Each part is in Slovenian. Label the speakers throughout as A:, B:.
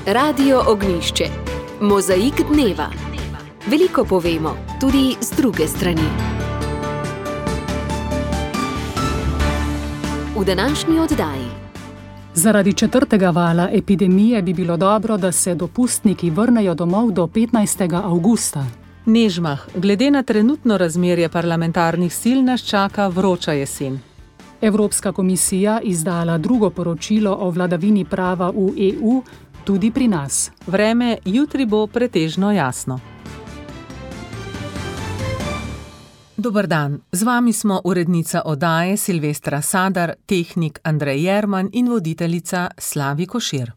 A: Radio Ognjišče. Mozaik dneva. Veliko povemo, tudi z druge strani. V današnji oddaji.
B: Zaradi 4. vala epidemije bi bilo dobro, da se dopustniki vrnejo domov do 15. avgusta.
C: Nežmah, glede na trenutno razmerje parlamentarnih sil nas čaka vroča jesen.
B: Evropska komisija izdala drugo poročilo o vladavini prava v EU, tudi pri nas.
C: Vreme jutri bo pretežno jasno. Dober dan, z vami smo urednica oddaje Silvestra Sadar, tehnik Andrej Jerman in voditeljica Slavi Košir.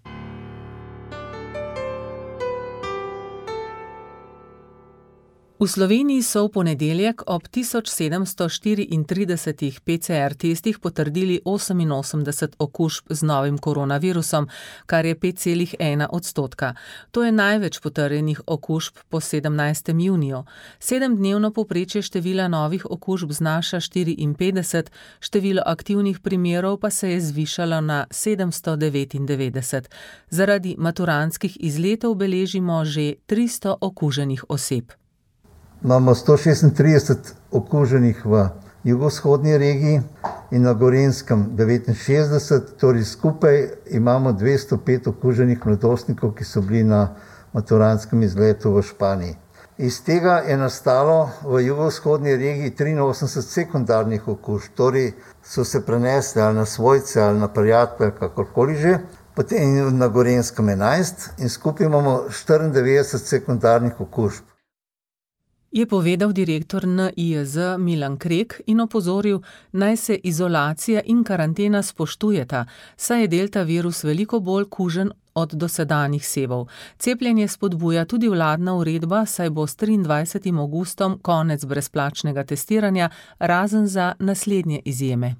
C: V Sloveniji so v ponedeljek ob 1734 PCR testih potrdili 88 okužb z novim koronavirusom, kar je 5,1%. To je največ potrjenih okužb po 17. juniju. 7-dnevno povprečje števila novih okužb znaša 54, število aktivnih primerov pa se je zvišalo na 799. Zaradi maturantskih izletov beležimo že 300 okuženih oseb.
D: Imamo 136 okuženih v jugovzhodni regiji in na Gorenjskem 69, torej skupaj imamo 205 okuženih mladostnikov, ki so bili na maturantskem izletu v Španiji. Iz tega je nastalo v jugovzhodni regiji 83 sekundarnih okužb, torej so se prenesli ali na svojce ali na prijatelje, kakorkoli že, potem na Gorenjskem 11 in skupaj imamo 94 sekundarnih okužb.
C: Je povedal direktor NIJZ Milan Krek in opozoril, naj se izolacija in karantena spoštujeta, saj je delta virus veliko bolj kužen od dosedanjih sevov. Cepljenje spodbuja tudi vladna uredba, saj bo s 23. avgustom konec brezplačnega testiranja, razen za naslednje izjeme.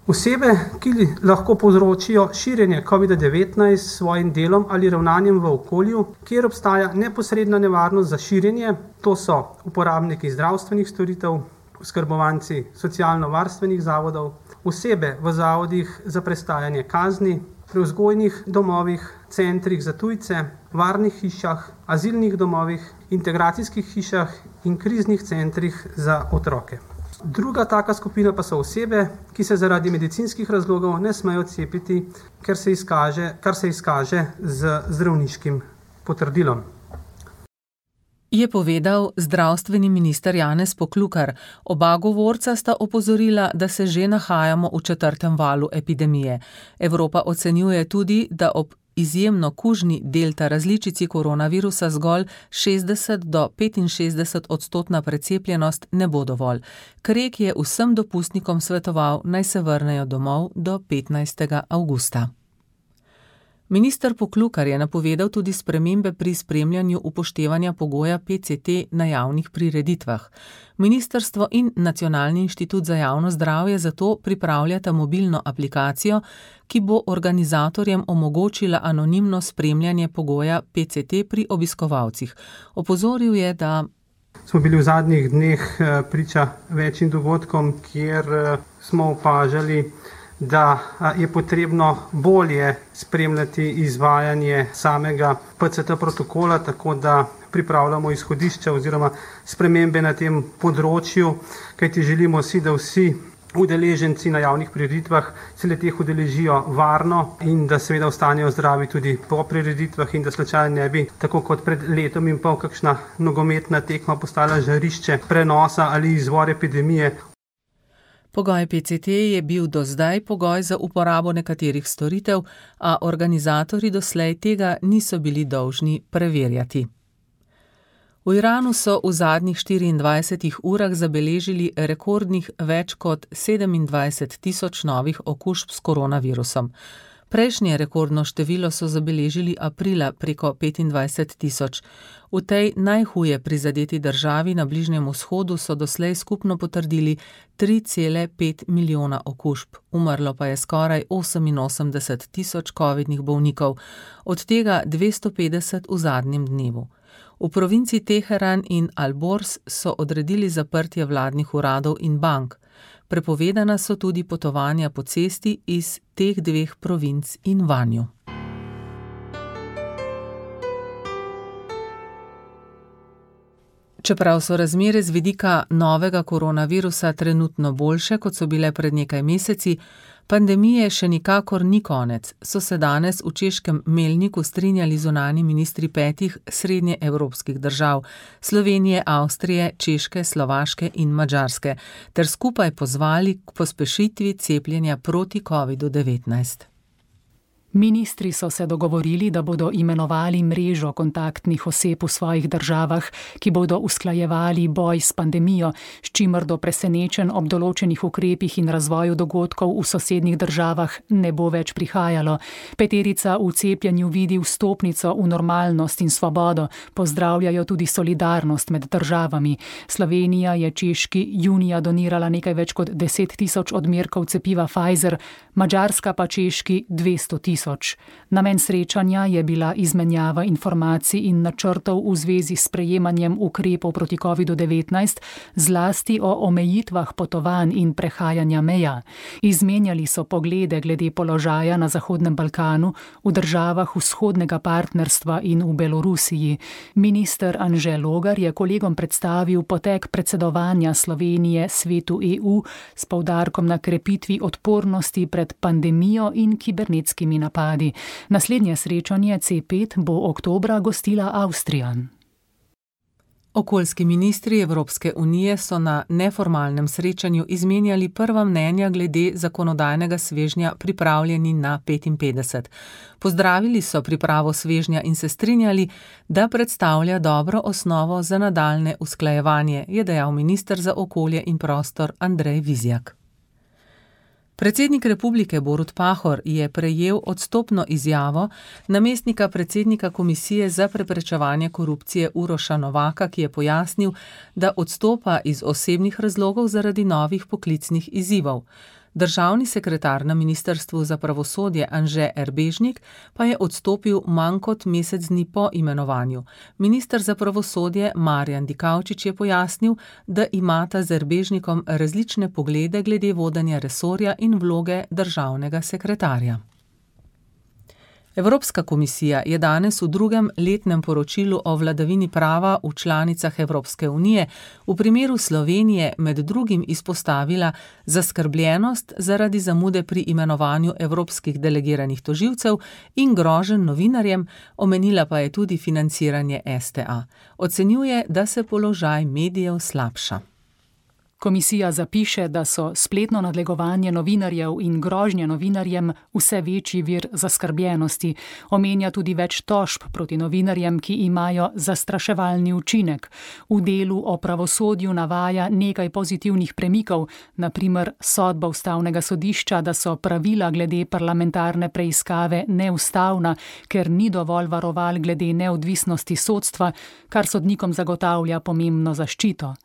E: Osebe, ki lahko povzročijo širjenje COVID-19 s svojim delom ali ravnanjem v okolju, kjer obstaja neposredna nevarnost za širjenje, to so uporabniki zdravstvenih storitev, oskrbovanci socialno-varstvenih zavodov, osebe v zavodih za prestajanje kazni, pri vzgojnih domovih, centrih za tujce, varnih hišah, azilnih domovih, integracijskih hišah in kriznih centrih za otroke. Druga taka skupina pa so osebe, ki se zaradi medicinskih razlogov ne smejo cepiti, kar se izkaže z zdravniškim potrdilom.
C: Je povedal zdravstveni minister Janez Poklukar. Oba govorca sta opozorila, da se že nahajamo v 4. valu epidemije. Evropa ocenjuje tudi, da ob izjemno kužni delta različici koronavirusa zgolj 60 do 65% precepljenost ne bo dovolj. Krek je vsem dopustnikom svetoval, naj se vrnejo domov do 15. avgusta. Minister Poklukar je napovedal tudi spremembe pri spremljanju upoštevanja pogoja PCT na javnih prireditvah. Ministrstvo in Nacionalni inštitut za javno zdravje zato pripravljata mobilno aplikacijo, ki bo organizatorjem omogočila anonimno spremljanje pogoja PCT pri obiskovalcih. Opozoril je, da
E: smo bili v zadnjih dneh priča večjim dogodkom, kjer smo opažali, da je potrebno bolje spremljati izvajanje samega PCT protokola, tako da pripravljamo izhodišča oziroma spremembe na tem področju, kajti želimo si, da vsi udeleženci na javnih prireditvah se le-teh udeležijo varno in da seveda ostanejo zdravi tudi po prireditvah in da slučajno ne bi, tako kot pred letom in pol, kakšna nogometna tekma postala žarišče prenosa ali izvor epidemije.
C: Pogoj PCT je bil do zdaj pogoj za uporabo nekaterih storitev, a organizatorji doslej tega niso bili dolžni preverjati. V Iranu so v zadnjih 24 urah zabeležili rekordnih več kot 27.000 novih okužb s koronavirusom. Prejšnje rekordno število so zabeležili aprila preko 25.000. V tej najhuje prizadeti državi na Bližnjem vzhodu so doslej skupno potrdili 3,5 milijona okužb. Umrlo pa je skoraj 88.000 covidnih bolnikov, od tega 250 v zadnjem dnevu. V provinci Teheran in Al-Bors so odredili zaprtje vladnih uradov in bank. Prepovedana so tudi potovanja po cesti iz teh dveh provinc in vanju. Čeprav so razmere z vidika novega koronavirusa trenutno boljše, kot so bile pred nekaj meseci, pandemije še nikakor ni konec, so se danes v češkem Melniku strinjali zunanji ministri 5 srednjeevropskih držav, Slovenije, Avstrije, Češke, Slovaške in Madžarske, ter skupaj pozvali k pospešitvi cepljenja proti COVID-19.
B: Ministri so se dogovorili, da bodo imenovali mrežo kontaktnih oseb v svojih državah, ki bodo usklajevali boj s pandemijo, s čimer do presenečenj ob določenih ukrepih in razvoju dogodkov v sosednjih državah ne bo več prihajalo. 5 v cepljenju vidi vstopnico v normalnost in svobodo, pozdravljajo tudi solidarnost med državami. Slovenija je Češki junija donirala nekaj več kot 10 000 odmerkov cepiva Pfizer, Madžarska pa Češki 200 000. Namen srečanja je bila izmenjava informacij in načrtov v zvezi s sprejemanjem ukrepov proti COVID-19, zlasti o omejitvah potovanj in prehajanja meja. Izmenjali so poglede glede položaja na Zahodnem Balkanu, v državah vzhodnega partnerstva in v Belorusiji. Minister Anže Logar je kolegom predstavil potek predsedovanja Slovenije Svetu EU s poudarkom na krepitvi odpornosti pred pandemijo in kibernetskimi napadi. Naslednje srečanje C5 bo oktobra gostila Avstrija.
C: Okoljski ministri Evropske unije so na neformalnem srečanju izmenjali prva mnenja glede zakonodajnega svežnja Pripravljeni na 55. Pozdravili so pripravo svežnja in se strinjali, da predstavlja dobro osnovo za nadaljnje usklajevanje, je dejal minister za okolje in prostor Andrej Vizjak. Predsednik republike Borut Pahor je prejel odstopno izjavo namestnika predsednika Komisije za preprečevanje korupcije Uroša Novaka, ki je pojasnil, da odstopa iz osebnih razlogov zaradi novih poklicnih izzivov. Državni sekretar na Ministrstvu za pravosodje Anže Erbežnik pa je odstopil manj kot mesec dni po imenovanju. Minister za pravosodje Marjan Dikaučič je pojasnil, da imata z Erbežnikom različne poglede glede vodenja resorja in vloge državnega sekretarja. Evropska komisija je danes v drugem letnem poročilu o vladavini prava v članicah Evropske unije v primeru Slovenije med drugim izpostavila zaskrbljenost zaradi zamude pri imenovanju evropskih delegiranih tožilcev in groženj novinarjem, omenila pa je tudi financiranje STA. Ocenjuje, da se položaj medijev slabša.
B: Komisija zapiše, da so spletno nadlegovanje novinarjev in grožnje novinarjem vse večji vir zaskrbljenosti. Omenja tudi več tožb proti novinarjem, ki imajo zastraševalni učinek. V delu o pravosodju navaja nekaj pozitivnih premikov, na primer sodba Ustavnega sodišča, da so pravila glede parlamentarne preiskave neustavna, ker ni dovolj varoval glede neodvisnosti sodstva, kar sodnikom zagotavlja pomembno zaščito.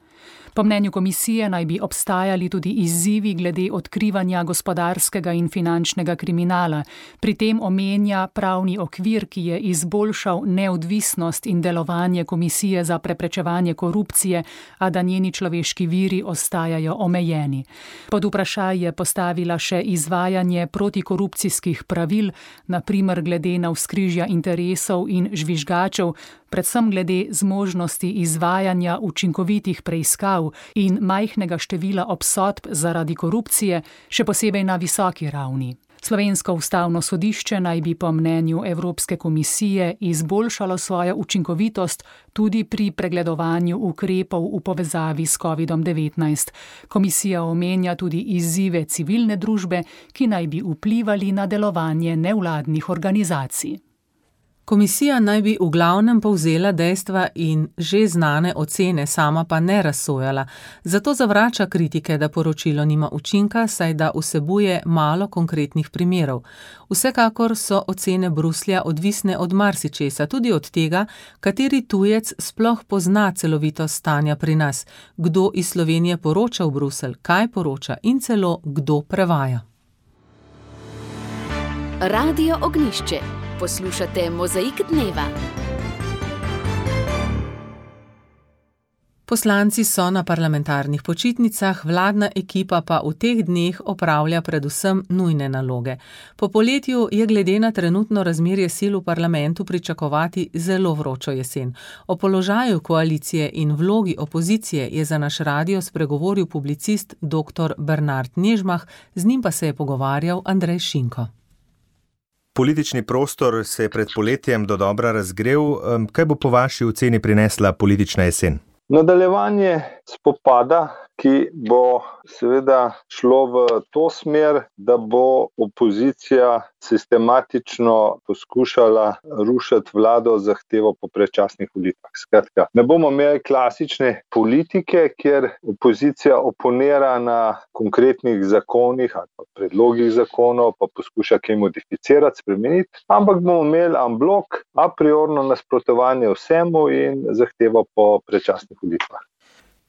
B: Po mnenju komisije naj bi obstajali tudi izzivi glede odkrivanja gospodarskega in finančnega kriminala. Pri tem omenja pravni okvir, ki je izboljšal neodvisnost in delovanje Komisije za preprečevanje korupcije, a da njeni človeški viri ostajajo omejeni. Pod vprašaj je postavila še izvajanje protikorupcijskih pravil, na primer glede navzkrižja interesov in žvižgačev, predvsem glede zmožnosti izvajanja učinkovitih preiskav in majhnega števila obsodb zaradi korupcije, še posebej na visoki ravni. Slovensko ustavno sodišče naj bi po mnenju Evropske komisije izboljšalo svojo učinkovitost tudi pri pregledovanju ukrepov v povezavi s COVID-19. Komisija omenja tudi izzive civilne družbe, ki naj bi vplivali na delovanje nevladnih organizacij.
C: Komisija naj bi v glavnem povzela dejstva in že znane ocene, sama pa ne razsojala. Zato zavrača kritike, da poročilo nima učinka, saj da vsebuje malo konkretnih primerov. Vsekakor so ocene Bruslja odvisne od marsičesa, tudi od tega, kateri tujec sploh pozna celovitost stanja pri nas, kdo iz Slovenije poroča v Bruselj, kaj poroča in celo kdo prevaja.
A: Radio Ognjišče. Poslušate Mozaik dneva.
C: Poslanci so na parlamentarnih počitnicah, vladna ekipa pa v teh dneh opravlja predvsem nujne naloge. Po poletju je glede na trenutno razmerje sil v parlamentu pričakovati zelo vročo jesen. O položaju koalicije in vlogi opozicije je za naš radio spregovoril publicist dr. Bernard Nežmah, z njim pa se je pogovarjal Andrej Šinko.
F: Politični prostor se je pred poletjem dodobra razgrel. Kaj bo po vaši oceni prinesla politična jesen?
G: Nadaljevanje spopada, ki bo seveda šlo v to smer, da bo opozicija sistematično poskušala rušiti vlado z zahtevo po predčasnih volitvah. Skratka, ne bomo imeli klasične politike, kjer opozicija oponira na konkretnih zakonih ali pa predlogih zakonov, pa poskuša kaj modificirati, spremeniti, ampak bomo imeli en blok, a priorno nasprotovanje vsemu in zahtevo po predčasnih volitvah.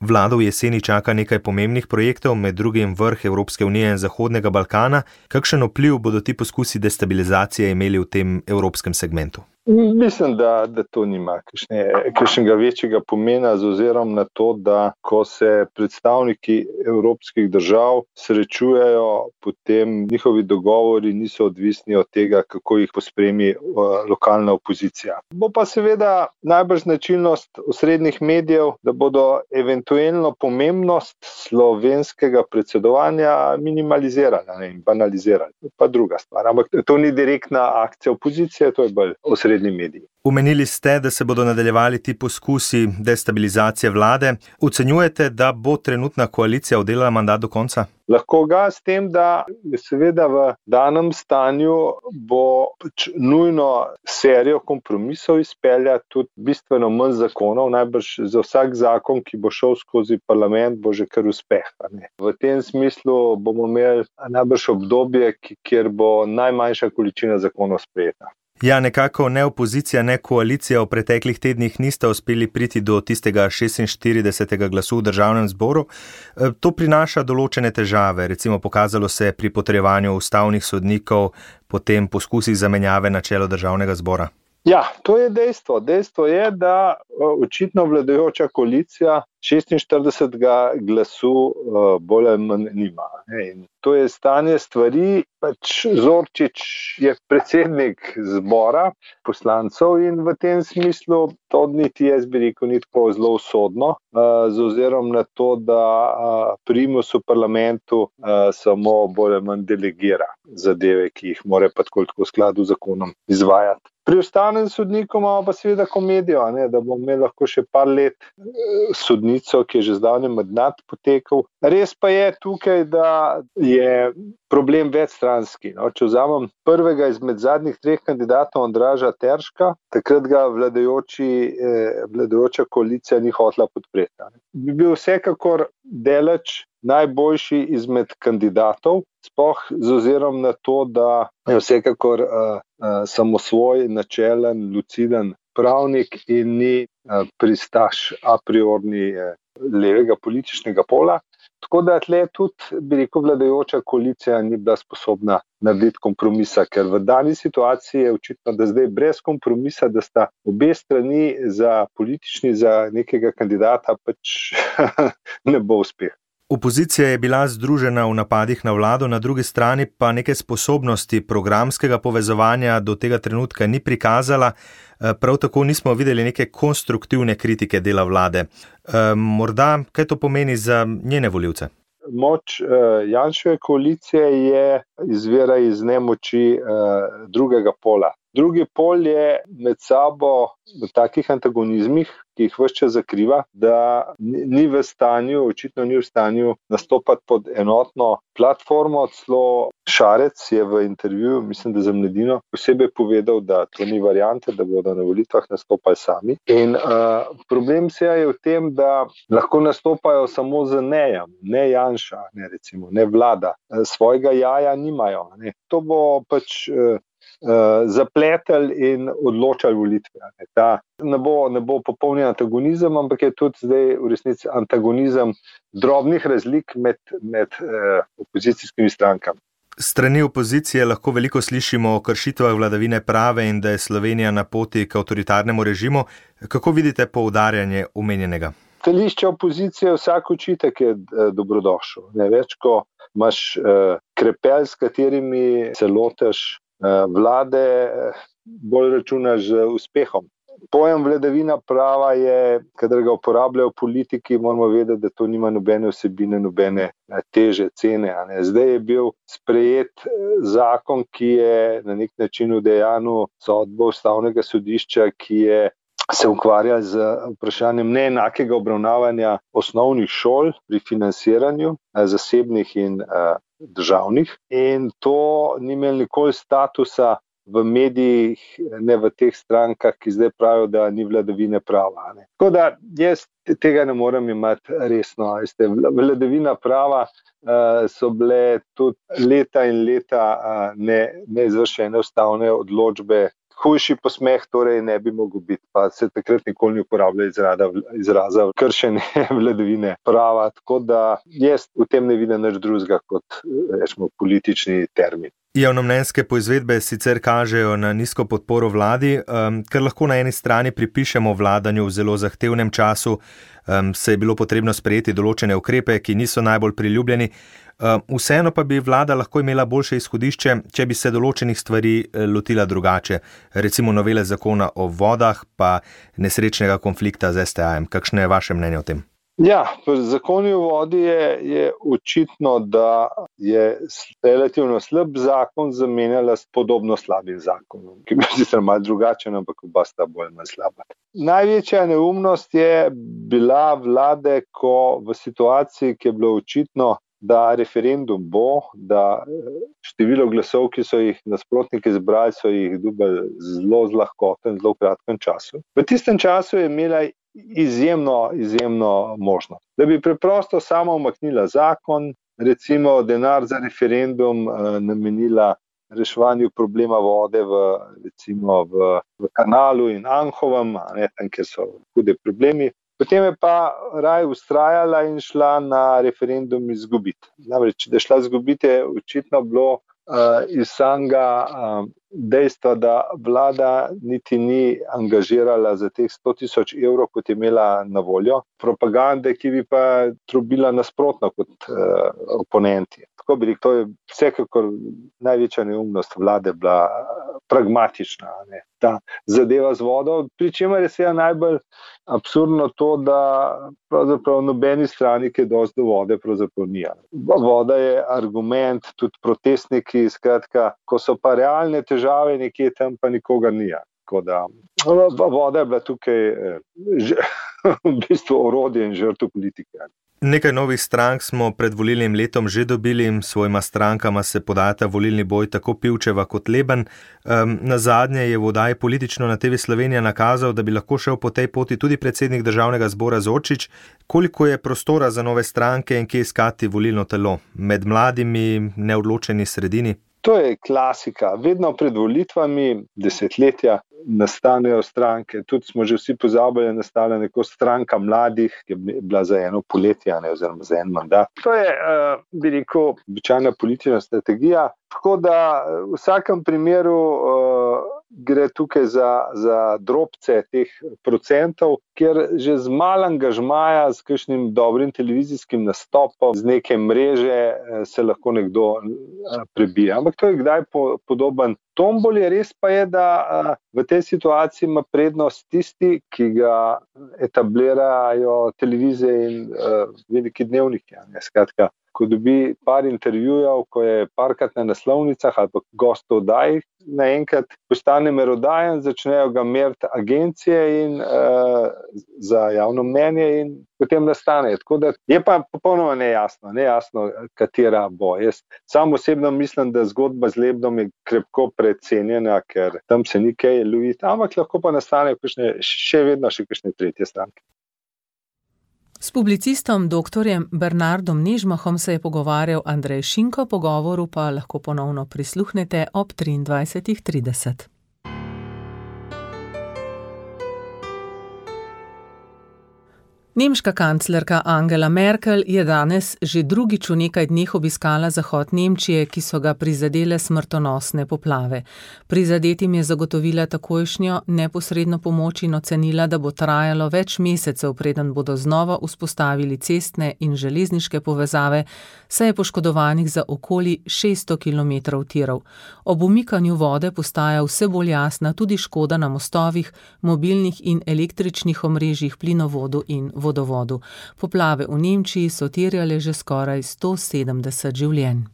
F: Vlado v jeseni čaka nekaj pomembnih projektov, med drugim vrh Evropske unije in Zahodnega Balkana. Kakšen vpliv bodo ti poskusi destabilizacije imeli v tem evropskem segmentu?
G: Mislim, da to nima kakšnega večjega pomena z ozirom na to, da ko se predstavniki evropskih držav srečujejo, potem njihovi dogovori niso odvisni od tega, kako jih pospremi lokalna opozicija. Bo pa seveda najbrž značilnost osrednjih medijev, da bodo eventualno pomembnost slovenskega predsedovanja minimalizirali in banalizirali. Pa druga stvar, ampak to ni direktna akcija opozicije, to je bolj osrednji mediji.
F: Omenili ste, da se bodo nadaljevali ti poskusi destabilizacije vlade. Ocenjujete, da bo trenutna koalicija oddelala mandat do konca?
G: Lahko ga s tem, da je seveda v danem stanju bo nujno serijo kompromisov izpeljati, tudi bistveno manj zakonov, najbrž za vsak zakon, ki bo šel skozi parlament, bo že kar uspeh. V tem smislu bomo imeli najbrž obdobje, kjer bo najmanjša količina zakonov sprejeta.
F: Ja, nekako ne opozicija, ne koalicija v preteklih tednih nista uspeli priti do tistega 46. glasu v državnem zboru. To prinaša določene težave, recimo pokazalo se je pri potrjevanju ustavnih sodnikov, potem poskusih zamenjave na čelo državnega zbora.
G: Ja, to je dejstvo. Dejstvo je, da očitno vladajoča koalicija 46. glasu bolj ali manj nima. In to je stanje stvari, Zorčič je predsednik zbora poslancev in v tem smislu to niti jaz bi rekel ni tako zelo usodno, z ozirom na to, da primus v parlamentu samo bolj ali manj delegira zadeve, ki jih mora pa tako v skladu z zakonom izvajati. Pri ustavnem sodniku imamo pa seveda komedijo, da bomo imeli lahko še par let sodnico, ki je že zdavnaj mandat potekal. Res pa je tukaj, da je problem večstranski. Če vzamem prvega izmed zadnjih 3 kandidatov, Andraža Terška, takrat ga vladajoča koalicija ni hotela podpreti. Bi bil vsekakor deleč najboljši izmed kandidatov, sploh z ozirom na to, da je vsekakor samosvoj, načelen, luciden pravnik in ni pristaš a priorni levega političnega pola. Tako da tle tudi, bi rekel, vladajoča koalicija ni bila sposobna narediti kompromisa, ker v dani situaciji je očitno, da zdaj brez kompromisa, da sta obe strani za nekega kandidata ne bo uspeh.
F: Opozicija je bila združena v napadih na vlado, na drugi strani pa neke sposobnosti programskega povezovanja do tega trenutka ni prikazala. Prav tako nismo videli neke konstruktivne kritike dela vlade. Morda, kaj to pomeni za njene volivce?
G: Moč Janševe koalicije izvira iz nemoči drugega pola. Drugi pol je med sabo v takih antagonizmih, ki jih ves čas zakriva, da očitno ni v stanju nastopati pod enotno platformo. Celo Šarec je v intervjuju, mislim, da za Mladino, posebej povedal, da to ni variante, da bodo na volitvah nastopali sami. In problem se je v tem, da lahko nastopajo samo z nejem, ne Janša, ne vlada. Svojega jaja nimajo. To bo zapletel in odločal volitve. Ta ne bo popolni antagonizem, ampak je tudi zdaj v resnici antagonizem drobnih razlik med opozicijskimi strankami.
F: Strani opozicije lahko veliko slišimo o kršitvah vladavine prave in da je Slovenija na poti k avtoritarnemu režimu. Kako vidite poudarjanje omenjenega?
G: stališča opozicije vsak očitek je dobrodošel. Ne več, ko imaš krepelj, s katerimi se lotiš vlade, bolj računaš z uspehom. Pojem vladavina prava je, kadar ga uporabljajo politiki, moramo vedeti, da to nima nobene vsebine, nobene teže cene. Zdaj je bil sprejet zakon, ki je na nek način udejanil sodbo Ustavnega sodišča, ki je se ukvarja z vprašanjem neenakega obravnavanja osnovnih šol pri financiranju zasebnih in državnih. In to ni imel nikoli statusa v medijih, ne v teh strankah, ki zdaj pravijo, da ni vladavine prava. Tako da jaz tega ne morem imati resno. Vladavina prava so bile tudi leta in leta neizvršene ustavne odločbe. Hujši posmeh torej ne bi mogel biti, pa se takrat nikoli ni uporabljal izraza kršenje vladavine prava. Tako da jaz v tem ne vidim nič drugega kot rečemo politični termin.
F: Javnomnenjske poizvedbe sicer kažejo na nizko podporo vladi, kar lahko na eni strani pripišemo vladanju v zelo zahtevnem času, se je bilo potrebno sprejeti določene ukrepe, ki niso najbolj priljubljeni. Vseeno pa bi vlada lahko imela boljše izhodišče, če bi se določenih stvari lotila drugače, recimo novele zakona o vodah, pa nesrečnega konflikta z STA-jem. Kakšno je vaše mnenje o tem?
G: Ja, pri zakonu o vodi je očitno, da je relativno slab zakon zamenjala s podobno slabim zakonom, ki bi sicer malo drugačen, ampak oba sta bolj manj slaba. Največja neumnost je bila vlade, ko v situaciji, ki je bilo očitno, da referendum bo, da število glasov, ki so jih nasprotniki zbrali, so jih dobili zelo lahkotno in zelo kratkem času. V tistem času je imela izjemno možnost, da bi preprosto samo umaknila zakon, recimo denar za referendum namenila reševanju problema vode v Kanalu in Anhovem, tam, kjer so hude problemi. Potem je pa raje vztrajala in šla na referendum izgubiti. Namreč, da je šla izgubiti, je očitno bilo iz samega dejstva, da vlada niti ni angažirala za teh 100.000 evrov, kot je imela na voljo, propagande, ki bi pa trubila nasprotno kot oponenti. Tako bi rekel, to je vsekakor največja neumnost vlade bila pragmatična, ta zadeva z vodo, pri čemer je seveda najbolj absurdno to, da pravzaprav nobeni strani, ki je dosti do vode, pravzaprav ni. Voda je argument, tudi protestniki, skratka, ko so pa realne težave nekje tam, pa nikogar ni. Tako da voda je bila tukaj v bistvu orodje in žrtev politike.
F: Nekaj novih strank smo pred volilnim letom že dobili, svojima strankama se podajata volilni boj tako Pivčeva kot Leben. Nazadnje je v oddaji Politično na TV Slovenija nakazal, da bi lahko šel po tej poti tudi predsednik Državnega zbora Zorčič. Koliko je prostora za nove stranke in kje iskati volilno telo? Med mladimi, neodločeni sredini?
G: To je klasika. Vedno pred volitvami, desetletja, nastanejo stranke. Tudi smo že vsi pozabili, nastala neko stranka mladih, ki je bila za eno poletje, oziroma za en mandat. To je, bi rekel, običajna politična strategija. Tako da v vsakem primeru gre tukaj za drobce teh procentov, kjer že z malo angažmaja, s kakšnim dobrim televizijskim nastopom, z neke mreže se lahko nekdo prebija. Ampak to je kdaj podoben tomboli. Res pa je, da v tej situaciji ima prednost tisti, ki ga etablirajo televizije in veliki dnevniki. Skratka, ko dobi par intervjujev, ko je parkrat na naslovnicah ali pa gostov oddaj, naenkrat postane merodajen, začnejo ga meriti agencije in za javno mnenje in potem nastane. Tako da je pa popolnoma nejasno, katera bo. Jaz sam osebno mislim, da zgodba z Lebnom je krepko precenjena, ker tam se ni kaj loviti, ampak lahko pa nastane še vedno kakšne tretje stranke.
C: S publicistom dr. Bernardom Nežmahom se je pogovarjal Andrej Šinko, pogovoru pa lahko ponovno prisluhnete ob 23:30. Nemška kanclerka Angela Merkel je danes že drugič v nekaj dneh obiskala zahod Nemčije, ki so ga prizadele smrtonosne poplave. Prizadetim je zagotovila takojšnjo neposredno pomoč in ocenila, da bo trajalo več mesecev, preden bodo znova vzpostavili cestne in železniške povezave, saj je poškodovanih za okoli 600 km tirov. Ob umikanju vode postaja vse bolj jasna tudi škoda na mostovih, mobilnih in električnih omrežjih, plinovodu in vodovodu. Poplave v Nemčiji so terjale že skoraj 170 življenj.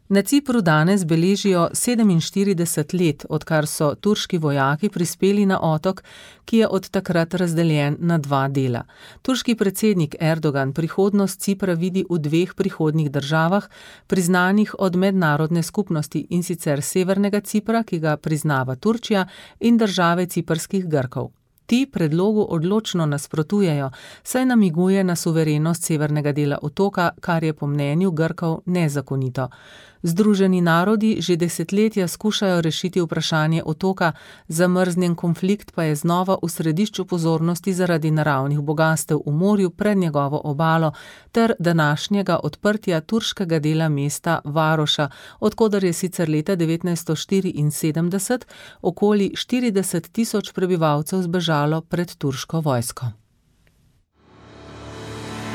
C: Na Cipru danes beležijo 47 let, odkar so turški vojaki prispeli na otok, ki je od takrat razdeljen na dva dela. Turški predsednik Erdogan prihodnost Cipra vidi v dveh prihodnjih državah, priznanih od mednarodne skupnosti, in sicer Severnega Cipra, ki ga priznava Turčija, in države ciprskih Grkov. Ti predlogu odločno nasprotujejo, saj namiguje na suverenost severnega dela otoka, kar je po mnenju Grkov nezakonito. Združeni narodi že desetletja skušajo rešiti vprašanje otoka, zamrznjen konflikt pa je znova v središču pozornosti zaradi naravnih bogastev v morju pred njegovo obalo ter današnjega odprtja turškega dela mesta Varoša, odkoder je sicer leta 1974 okoli 40 tisoč prebivalcev zbežalo pred turško vojsko.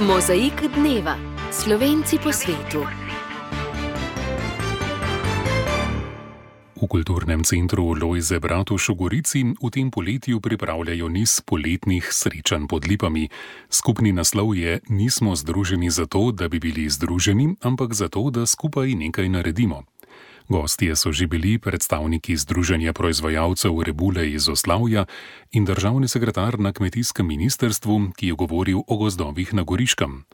A: Mozaik dneva. Slovenci po svetu.
H: V Kulturnem centru Lojze Bratuš v Gorici v tem poletju pripravljajo niz poletnih srečanj pod lipami. Skupni naslov je Nismo združeni zato, da bi bili združeni, ampak zato, da skupaj nekaj naredimo. Gostje so že bili predstavniki Združenja proizvajalcev rebule iz Oslavja in državni sekretar na kmetijskem ministrstvu, ki je govoril o gozdovih na Goriškem.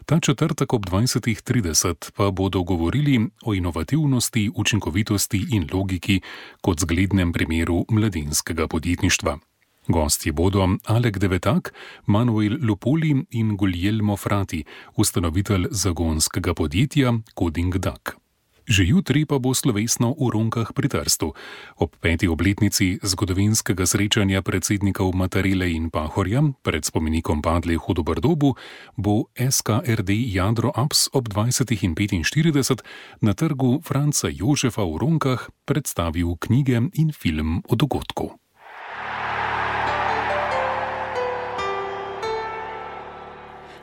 H: Ta četrtek ob 20:30 pa bodo govorili o inovativnosti, učinkovitosti in logiki kot zglednem primeru mladinskega podjetništva. Gostje bodo Alek Devetak, Manuel Lupoli in Guglielmo Frati, ustanovitelj zagonskega podjetja Coding Duck. Že jutri pa bo slovesno v Ronkah pri Trstu. Ob 5. obletnici zgodovinskega srečanja predsednikov Matarele in Pahorja pred spomenikom padlih v Doberdobu bo SKRD Jadro Apps ob 20:45 na trgu Franca Jožefa v Ronkah predstavil knjige in film o dogodku.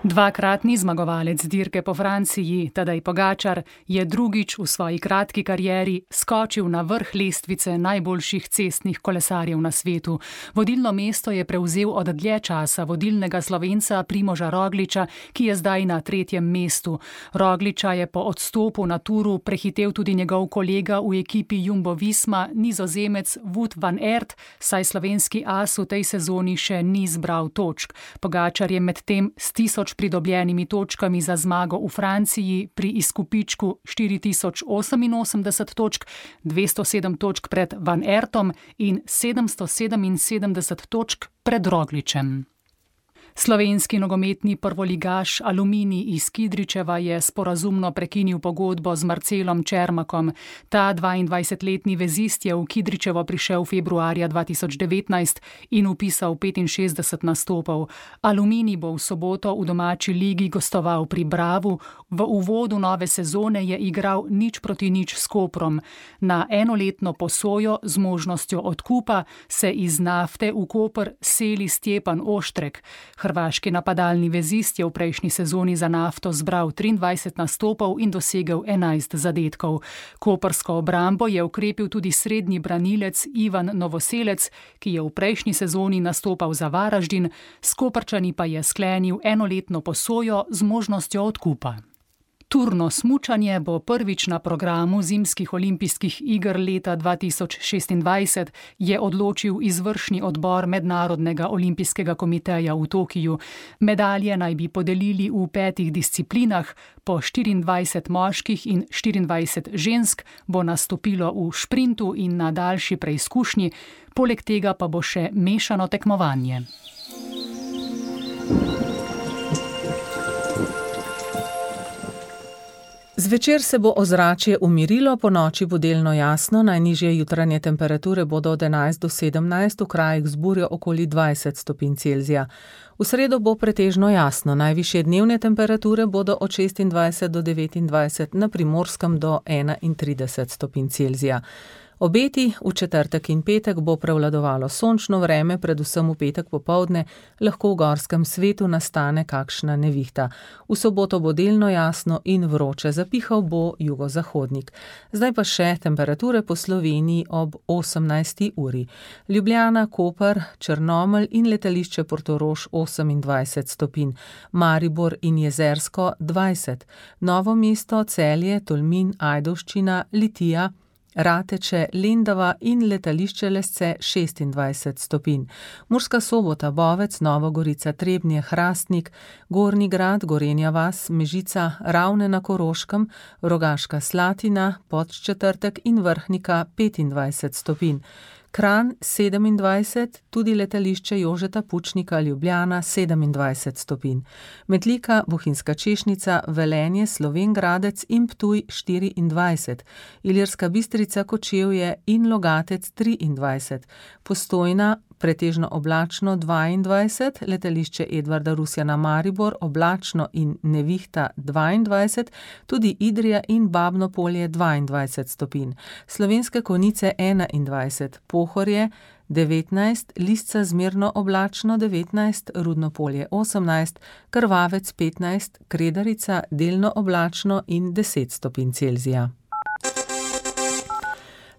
B: Dvakratni zmagovalec dirke po Franciji, Tadej Pogačar, je drugič v svoji kratki karieri skočil na vrh lestvice najboljših cestnih kolesarjev na svetu. Vodilno mesto je prevzel od dlje časa vodilnega Slovenca Primoža Rogliča, ki je zdaj na 3. mestu. Rogliča je po odstopu na turu prehitel tudi njegov kolega v ekipi Jumbo Visma, Nizozemec Wout van Aert, saj slovenski as v tej sezoni še ni zbral točk. Pogačar je medtem s 1000 pridobljenimi točkami za zmago v Franciji pri izkupičku 4088 točk, 207 točk pred Van Aertom in 777 točk pred Rogličem. Slovenski nogometni prvoligaš Aluminij iz Kidričeva je sporazumno prekinil pogodbo z Marcelom Čermakom. Ta 22-letni vezist je v Kidričevo prišel februarja 2019 in vpisal 65 nastopov. Aluminij bo v soboto v domači ligi gostoval pri Bravu. V uvodu nove sezone je igral 0-0 s Koprom. Na enoletno posojo z možnostjo odkupa se iz Nafte v Koper seli Stjepan Oštrek. Hrvaški napadalni vezist je v prejšnji sezoni za Nafto zbral 23 nastopov in dosegel 11 zadetkov. Koprsko obrambo je ukrepil tudi srednji branilec Ivan Novoselec, ki je v prejšnji sezoni nastopal za Varaždin, s Koprčani pa je sklenil enoletno posojo z možnostjo odkupa. Turno smučanje bo prvič na programu zimskih olimpijskih iger leta 2026, je odločil izvršni odbor Mednarodnega olimpijskega komiteja v Tokiju. Medalje naj bi podelili v 5 disciplinah, po 24 moških in 24 žensk bo nastopilo v šprintu in na daljši preizkušnji, poleg tega pa bo še mešano tekmovanje.
C: Zvečer se bo ozračje umirilo, ponoči bo delno jasno, najnižje jutranje temperature bodo od 11 do 17, v krajih z burjo okoli 20 stopinj Celzija. V sredo bo pretežno jasno, najvišje dnevne temperature bodo od 26 do 29, na Primorskem do 31 stopinj Celzija. Obeti v četrtek in petek bo prevladovalo sončno vreme, predvsem v petek popoldne, lahko v gorskem svetu nastane kakšna nevihta. V soboto bo delno jasno in vroče, zapihal bo jugozahodnik. Zdaj pa še temperature po Sloveniji ob 18. uri. Ljubljana, Koper, Črnomelj in letališče Portorož 28 stopinj, Maribor in Jezersko 20, Novo mesto, Celje, Tolmin, Ajdovščina, Litija, Rateče, Lendava in letališče Lesce 26 stopinj. Murska Sobota, Bovec, Nova Gorica, Trebnje, Hrastnik, Gornji Grad, Gorenja vas, Mežica, Ravne na Koroškem, Rogaška Slatina, Podčetrtek in Vrhnika 25 stopinj. Kranj 27, tudi letališče Jožeta Pučnika, Ljubljana 27 stopinj. Metlika, Bohinjska Češnica, Velenje, Slovenj Gradec in Ptuj 24, Ilirska Bistrica, Kočevje in Logatec 23, Postojna pretežno oblačno 22, letališče Edvarda Rusjana Maribor oblačno in nevihta 22, tudi Idrija in Babno Polje 22 stopinj, Slovenske Konjice 21, Pohorje 19, Lisca zmerno oblačno 19, Rudno Polje 18, Krvavec 15, Kredarica delno oblačno in 10 stopinj Celzija.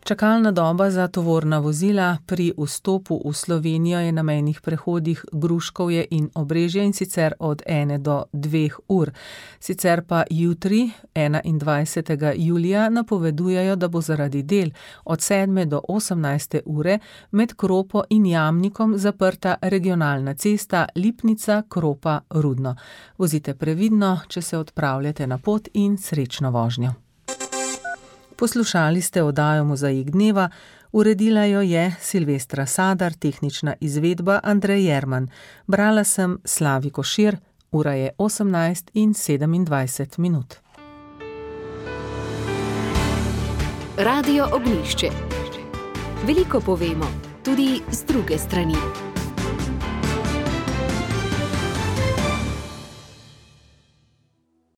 C: Čakalna doba za tovorna vozila pri vstopu v Slovenijo je na mejnih prehodih Gruškovje in Obrežje, in sicer od 1 do 2 ur. Sicer pa jutri, 21. julija, napovedujejo, da bo zaradi del od 7 do 18 ure med Kropo in Jamnikom zaprta regionalna cesta Lipnica-Kropa-Rudno. Vozite previdno, če se odpravljate na pot, in srečno vožnjo. Poslušali ste oddajo Mozaik dneva, uredila jo je Silvestra Sadar, tehnična izvedba Andrej Jerman. Brala sem Slavi Košir, ura je 18:27 minut.
A: Radio Ognjišče. Veliko povemo, tudi z druge strani.